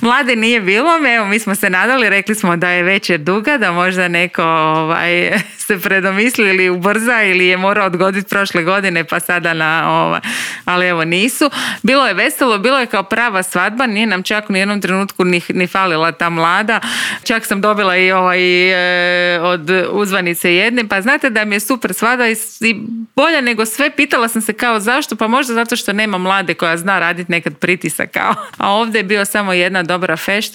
Mlade nije bilo, evo mi smo se nadali, rekli smo da je večer duga, da možda neko se predomisli ili ubrza ili je morao odgoditi prošle godine pa sada ali evo nisu. Bilo je veselo, bilo je kao prava svadba, nije nam čak u nijednom trenutku ni falila ta mlada. Čak sam dobila i od uzvanice jedne, pa znate da mi je super svadba i bolja nego sve. Pitala sam se kao zašto, pa možda zato što nema mlade koja zna raditi nekad pritisak kao. A ovdje je bio samo jedna dobra fešta